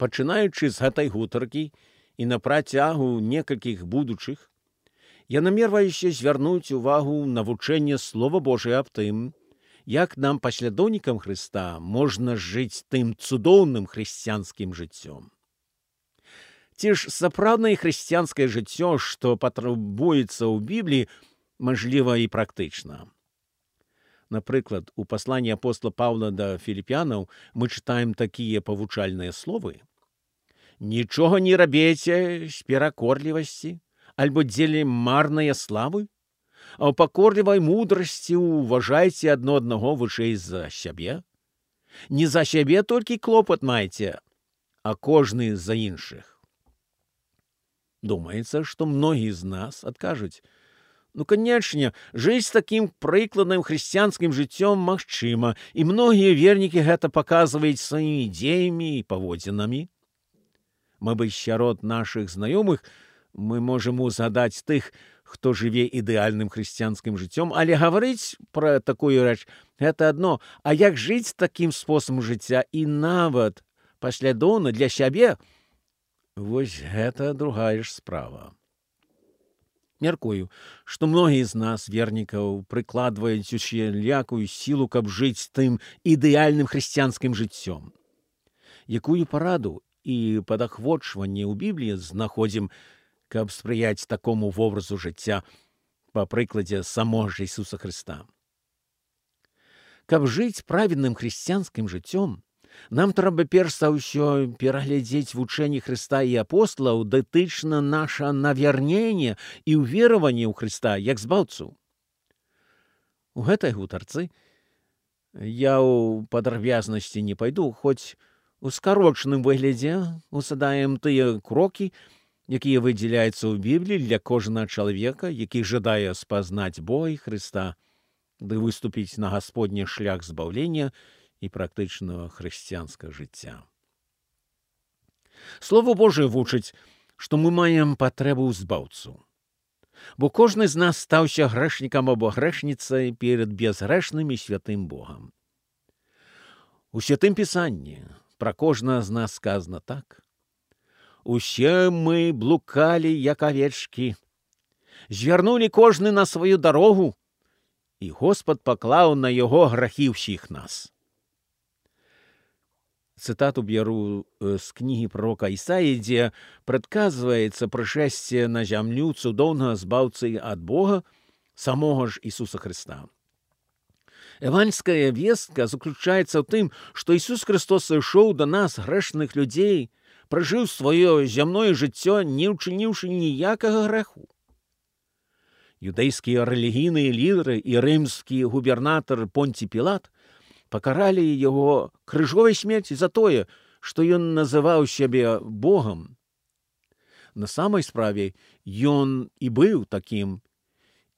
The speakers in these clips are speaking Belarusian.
Пачынаючы з гэтай гутаркі і на працягу некалькіх будучых, я намерваюся звярнуць увагу на вучэнне Слова Божае аб тым, як нам, паслядоўнікам Хрыста, можна жыць тым цудоўным хрысціянскім жыццём. Ці ж сапраўднае хрысціянскае жыццё, што патрабуецца ў Бібліі, мажліва і практычна. Напрыклад, у пасланні апостола Паўла да філіпянаў мы чытаем такія павучальныя словы: «Нічога не рабіце з перакорлівасці, альбо дзеля марнае славы, а ў пакорлівай мудрасці уважайце адно аднаго вышэй за сябе. Не за сябе толькі клопат майце, а кожны за іншых». Думаецца, што многія з нас адкажуць: «Ну, канечне, жыць такім прыкладным хрысціянскім жыццём магчыма, і многія вернікі гэта паказваюць сваімі дзеямі і паводзінамі». Мабыць, сярод нашых знаёмых мы можам узгадаць тых, хто жыве ідэальным хрысціянскім жыццём, але гаварыць пра такую рэч – гэта адно, а як жыць такім спосабам жыцця і нават паслядоўна для сябе – вось гэта другая ж справа. Мяркую, што многія з нас, вернікаў, прыкладваюць усялякую сілу, каб жыць тым ідэальным хрысціянскім жыццём. Якую параду і падахвочванне ў Бібліі знаходзім, каб спрыяць такому вобразу жыцця па прыкладзе самога ж Ісуса Хрыста? Каб жыць правільным хрысціянскім жыццём, нам трэба перш за ўсё пераглядзець вучэнні Хрыста і апосталаў датычна наша навярнення і ўвераванне ў Хрыста як збаўцу. У гэтай гутарцы я ў падрабязнасці не пайду, хоць у скарочаным выглядзе усадаем тыя крокі, якія выдзяляюцца ў Бібліі для кожнага чалавека, які жадае спазнаць Бога і Хрыста, ды выступіць на Гасподні шлях збаўлення і практычнага хрысціянскага жыцця. Слово Божае вучыць, што мы маем патрэбу ў збаўцу. Бо кожны з нас стаўся грэшнікам або грэшніцай перад безгрэшным і святым Богам. У Святым Пісанні пра кожнага з нас сказана так: «Усе мы блукалі, як авечкі, звярнулі кожны на сваю дарогу, і Господ паклаў на яго грахі ўсіх нас». Цытату бяру з кнігі пророка Ісаі, дзе прадказваецца прышэсце на зямлю цудоўнага збаўцы ад Бога, самога ж Ісуса Хрыста. Евангельская вестка заключаецца ў тым, што Ісус Христос ішоў да нас, грэшных людзей, пражыў сваё зямное жыццё, не ўчыніўшы ніякага грэху. Юдэйскія рэлігійныя лідары і рымскі губернатар Понцій Пілат пакаралі яго крыжовай смерці за тое, што ён называў сябе Богам. На самай справе ён і быў такім,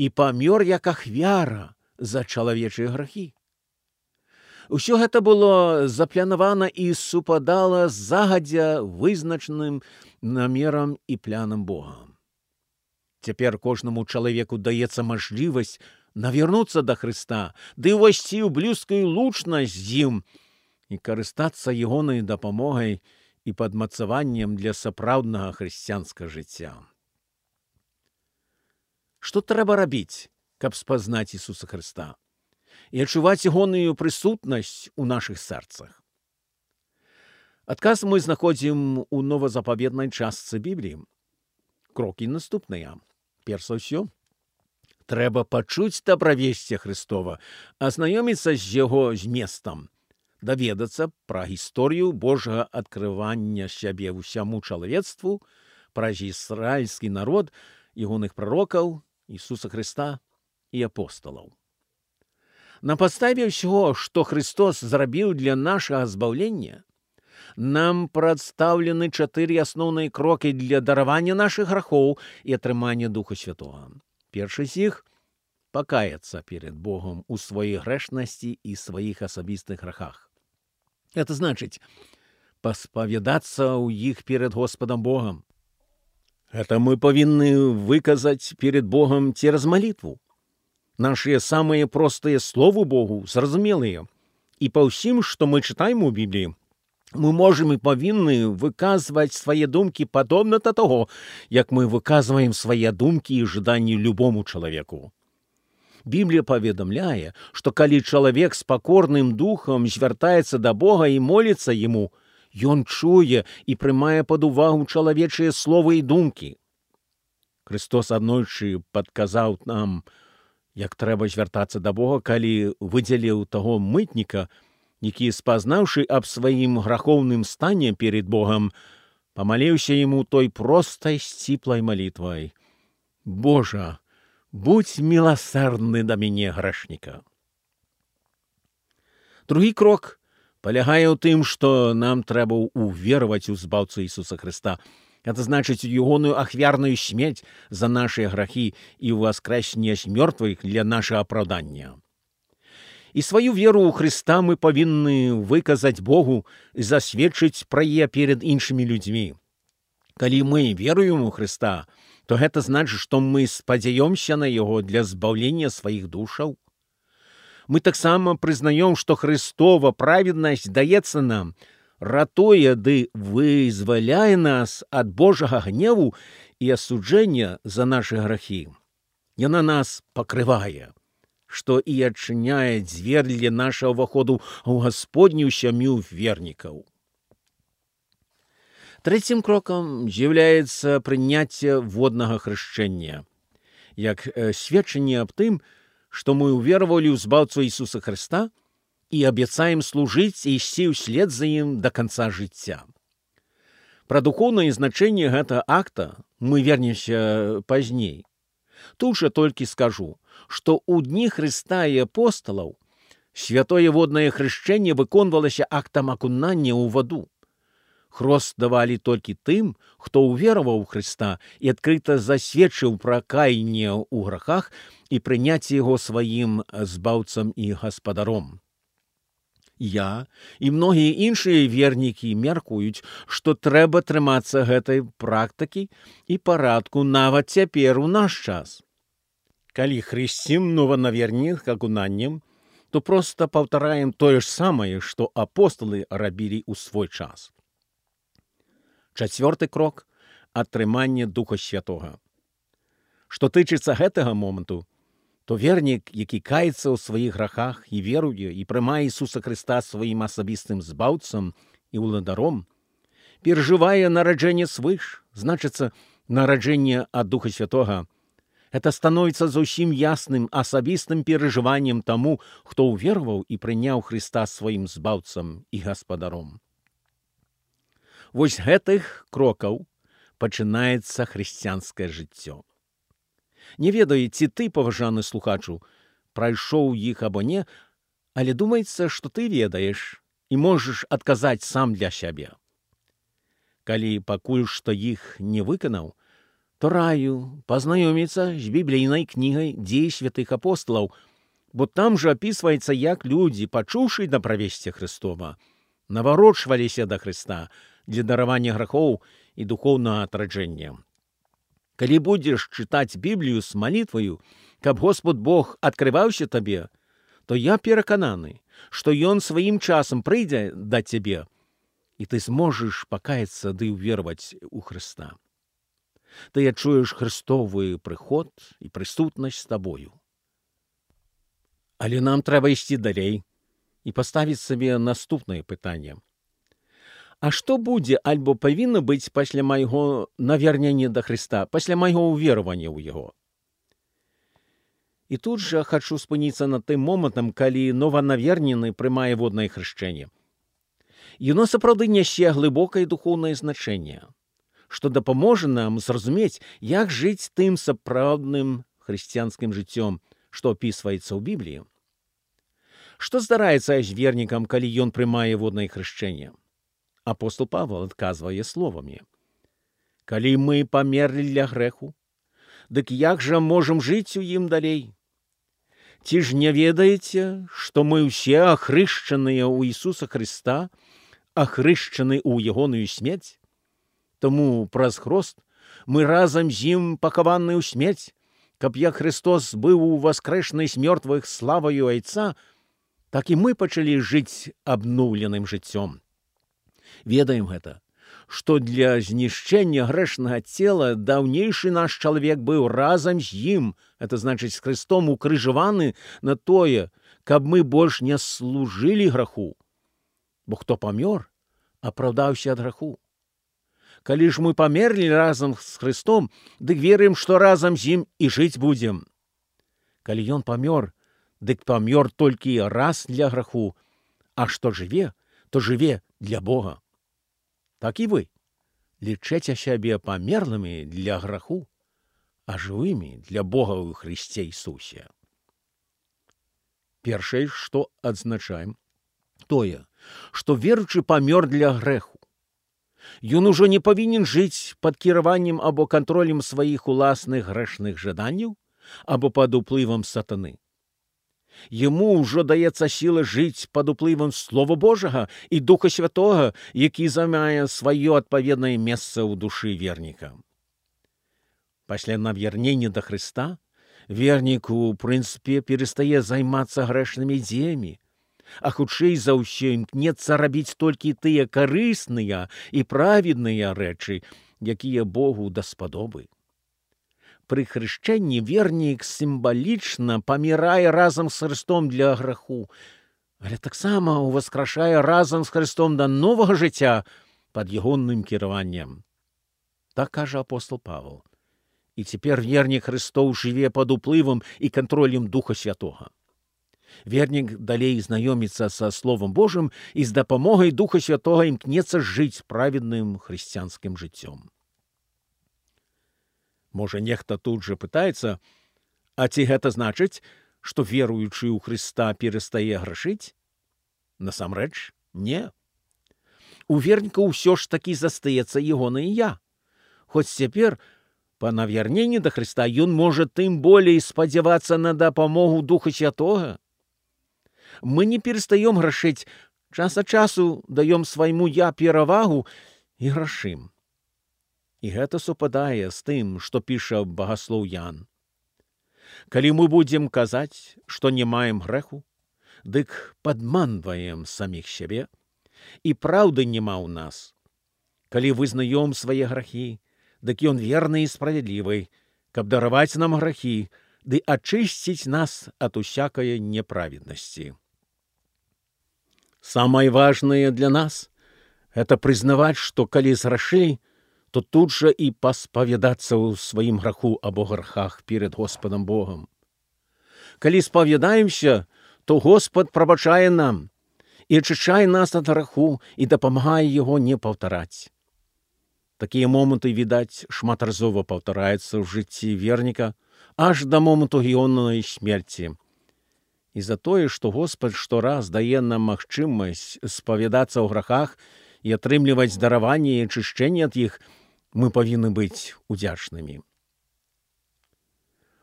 і памёр як ахвяра за чалавечыя грахі. Усё гэта было запланавана і супадала з загадзя вызначаным намерам і планам Бога. Цяпер кожнаму чалавеку даецца мажлівасць навярнуцца да Хрыста, ды ўвайсці ў блізкую лучнасць з ім і карыстацца ягонай дапамогай і падмацаваннем для сапраўднага хрысціянскага жыцця. Што трэба рабіць, каб спазнаць Ісуса Хрыста і адчуваць ягоную прысутнасць у нашых сэрцах? Адказ мы знаходзім у новазапаветнай частцы Бібліі. Крокі наступныя. Перш за ўсё, трэба пачуць дабравесце Хрыстова, азнаёміцца з яго зместам, даведацца пра гісторыю Божага адкрывання сябе ўсяму чалавецтву, праз ізраільскі народ, ягоных прарокаў, Ісуса Хрыста і апосталаў. На падставе ўсяго, што Христос зрабіў для нашага збаўлення, нам прадстаўлены 4 асноўныя крокі для даравання нашых грахоў і атрымання Духа Святога. Першы з іх – пакаяцца перед Богом у сваёй грэшнасці і сваіх асабістых грахах. Это значыць паспавядацца ў іх перед Господом Богом. Это мы павінны выказаць перед Богом цераз малітву. Нашыя самыя простыя словы Богу зразумелыя. І па ўсім, што мы чытаем у Бібліі, Мы можем і павінны выказваць свае думкі падобна да таго, як мы выказваем свае думкі і жаданні любому чалавеку. Біблія паведамляе, што калі чалавек з пакорным духам звяртаецца да Бога і моліцца яму, ён чуе і прымае пад увагу чалавечыя словы і думкі. Христос аднойчы падказаў нам, як трэба звяртацца да Бога, калі выдзеліў таго мытніка, які, спазнаўшы аб сваім грахоўным стане перед Богом, памаліўся яму той простай сціплай малітвай: «Божа, будь міласэрны да мяне, грэшніка». Другі крок палягае ў тым, што нам трэба увераваць у збаўцу Ісуса Хрыста. Это значыць, у ягоную ахвярную смерць за нашыя грахі і ў воскрэсенне з мёртвых для нашага апраўдання. І сваю веру ў Хрыста мы павінны выказаць Богу і засведчыць пра яе перед іншымі людзьмі. Калі мы веруем у Хрыста, то гэта значыць, што мы спадзяёмся на Яго для збаўлення сваіх душаў. Мы таксама прызнаём, што Хрыстова праведнасць даецца нам, ратуе ды вызваляе нас ад Божага гневу і асуджэння за нашы грахі. Яна нас пакрывае, што і адчыняе дзвер для нашага ўваходу ў Гасподнюю сям'ю вернікаў. Трэцім крокам з'яўляецца прыняцце воднага хрышчэння, як сведчанне аб тым, што мы ўверавалі ў збаўцу Ісуса Хрыста і абяцаем служыць і ісці ўслед за ім да канца жыцця. Пра духоўнае значэнне гэтага акта мы вернемся пазней. Тут жа толькі скажу, што ў дні Хрыста і апосталаў святое воднае хрышчэнне выконвалася актам акунання ў ваду. Хрост давалі толькі тым, хто ўвераваў у Хрыста і адкрыта засведчыў пра каянне ў грахах і прыняцце яго сваім збаўцам і гаспадаром. Я і многія іншыя вернікі мяркуюць, што трэба трымацца гэтай практыкі і парадку нават цяпер у наш час. Калі хрысцім нованаверніх акунаннем, то проста паўтараем тое ж самае, што апосталы рабілі ў свой час. Чацвёрты крок – атрыманне Духа Святога. Што тычыцца гэтага моманту, то вернік, які каецца ў сваіх грахах і веруе і прымае Ісуса Хрыста сваім асабістым збаўцам і ўладаром, перажывае нараджэнне свыш, значыцца, нараджэнне ад Духа Святога. Это становіцца зусім ясным асабістым перажываннем таму, хто ўвераваў і прыняў Хрыста сваім збаўцам і гаспадаром. Вось гэтых крокаў пачынаецца хрысціянскае жыццё. Не ведаю, ці ты, паважаны слухачу, прайшоў іх або не, але думаецца, што ты ведаеш і можаш адказаць сам для сябе. Калі пакуль што іх не выканаў, то раю пазнаёміцца з біблійнай кнігай «Дзеі святых апосталаў», бо там жа апісваецца, як людзі, пачуўшы да правесці Хрыстова, наварочваліся да Хрыста для даравання грахоў і духоўнага атраджэння. Калі будзеш чытаць Біблію з малітваю, каб Господ Бог адкрываўся табе, то я перакананы, што Ён сваім часам прыйдзе да цябе, і ты зможаш пакаяцца ды ўвераваць у Хрыста. Ты адчуеш Хрыстовы прыход і прысутнасць з табою. Але нам трэба ісці далей і паставіць сабе наступнае пытанне. А што будзе альбо павінна быць пасля майго навярнення да Хрыста, пасля майго ўверавання ў Яго? І тут жа хачу спыніцца над тым момантам, калі нованавернены прымае воднае хрышчэнне. Яно сапраўды нясе глыбокае духоўнае значэнне, што дапаможа нам зразумець, як жыць тым сапраўдным хрысціянскім жыццём, што апісваецца ў Бібліі. Што здараецца з вернікам, калі ён прымае воднае хрышчэнне? Апостол Павел адказвае словамі: «Калі мы памерлі для грэху, дык як жа можам жыць у ім далей? Ці ж не ведаеце, што мы ўсе ахрышчаныя ў Ісуса Хрыста, ахрышчаны ў ягоную смерць? Таму праз хрост мы разам з ім пахаваны ў смерць, каб як Христос быў уваскрэшаны з мёртвых славаю Айца, так і мы пачалі жыць абноўленым жыццём. Ведаем гэта, што для знішчэння грэшнага цела даўнейшы наш чалавек быў разам з ім, это значыць, з Хрыстом укрыжаваны на тое, каб мы больш не служылі граху. Бо хто памёр, апраўдаўся ад граху. Калі ж мы памерлі разам з Хрыстом, дык верым, што разам з ім і жыць будзем. Калі ён памёр, дык памёр толькі раз для граху, а што жыве, то жыве для Бога. Так і вы лічэце сябе памерлымі для граху, а жывымі для Бога ў Хрысце Ісусе. Першае, што адзначаем, тое, што веруючы памёр для грэху. Ён ужо не павінен жыць пад кіраваннем або кантролем сваіх уласных грэшных жаданняў або пад уплывам сатаны. Яму ўжо даецца сіла жыць пад уплывам Слова Божага і Духа Святога, які займае сваё адпаведнае месца ў душы верніка. Пасля навярнення да Хрыста вернік, у прынцыпе, перастае займацца грэшнымі дзеямі, а хутчэй за ўсё імкнецца рабіць толькі тыя карысныя і праведныя рэчы, якія Богу даспадобы. Пры хрышчэнні вернік сімвалічна памірае разам з Хрыстом для граху, але таксама ўваскрашае разам з Хрыстом да новага жыцця пад ягоным кіраваннем. Так кажа апостол Павел. І цяпер вернік Хрыстоў жыве пад уплывам і кантролем Духа Святога. Вернік далей знаёміцца са Словам Божым і з дапамогай Духа Святога імкнецца жыць праведным хрысціянскім жыццём. Можа, нехта тут жа пытаецца, а ці гэта значыць, што веруючы ў Хрыста перастае грашыць? Насамрэч, не. У верніка ўсё ж такі застаецца ягонае «я». Хоць цяпер, па навярненні да Хрыста, ён можа тым болей спадзявацца на дапамогу Духа Святога. Мы не перастаём грашыць, час ад часу даём свайму «я» перавагу і грашым. І гэта супадае з тым, што піша багаслоў Ян. Калі мы будзем казаць, што не маем грэху, дык падманваем саміх сябе, і праўды няма ў нас. Калі вызнаём свае грахі, дык ён верны і справядлівы, каб дараваць нам грахі, ды ачысціць нас ад усякае неправеднасці. Самае важнае для нас – гэта прызнаваць, што калі зграшылі, то тут жа і паспавядацца ў сваім граху або грахах перад Господам Богам. Калі спавядаемся, то Господ прабачае нам і ачышчае нас ад граху і дапамагае яго не паўтараць. Такія моманты, відаць, шматразова паўтараюцца ў жыцці верніка аж да моманту ягонай смерці. І за тое, што Господ штораз дае нам магчымасць спавядацца ў грахах і атрымліваць дараванне і ачышчэнне ад іх, мы павінны быць удзячнымі.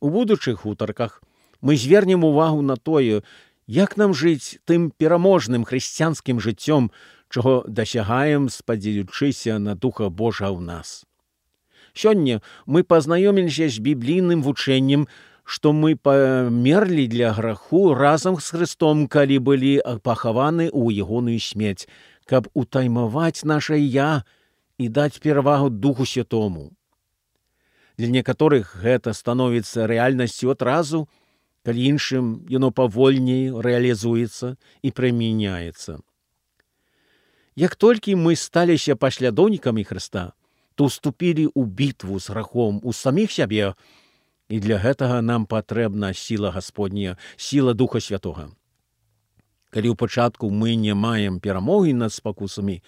У будучых гутарках мы звернем увагу на тое, як нам жыць тым пераможным хрысціянскім жыццём, чаго дасягаем, спадзеючыся на Духа Божа ў нас. Сёння мы пазнаёміліся з біблійным вучэннем, што мы памерлі для граху разам з Хрыстом, калі былі пахаваны ў ягоную смерць, каб утаймаваць наша «я» і даць перавагу Духу Святому. Для некаторых гэта становіцца рэальнасцю адразу, калі іншым яно павольней рэалізуецца і прымяняецца. Як толькі мы сталіся паслядоўнікамі Хрыста, то ўступілі ў бітву з грахом у саміх сябе, і для гэтага нам патрэбна сіла Гасподня, сіла Духа Святога. Калі ў пачатку мы не маем перамогі над спакусамі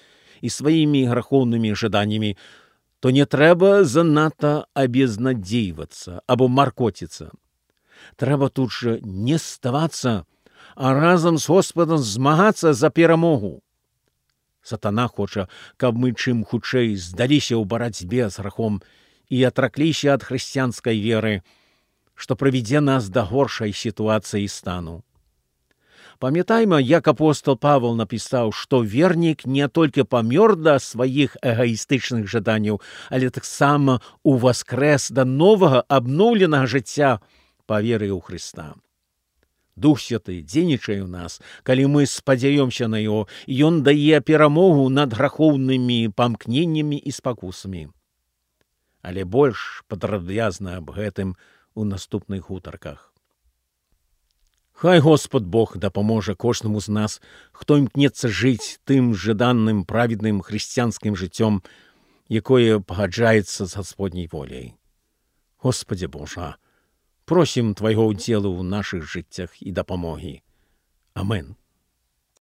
і сваімі грахоўнымі жаданнямі, то не трэба занадта абезнадзейвацца або маркоціцца. Трэба тут жа не ставацца, а разам з Господам змагацца за перамогу. Сатана хоча, каб мы чым хутчэй здаліся ў барацьбе з грахом і атракліся ад хрысціянскай веры, што прывядзе нас да горшай сітуацыі стану. Памятайма, як апостол Павел напісаў, што вернік не толькі памёр да сваіх эгаістычных жаданняў, але таксама уваскрэс да новага абноўленага жыцця па веры ў Хрыста. Дух Святы дзейнічае ў нас, калі мы спадзяёмся на яго, і ён дае перамогу над грахоўнымі памкненнямі і спакусамі. Але больш падрабязна аб гэтым у наступных гутарках. Хай Господ Бог дапаможа кожнаму з нас, хто імкнецца жыць тым жаданым праведным хрысціянскім жыццём, якое пагаджаецца з Гасподняй воляй. Господзе Божа, просім Твайго ўдзелу ў нашых жыццях і дапамогі. Амен.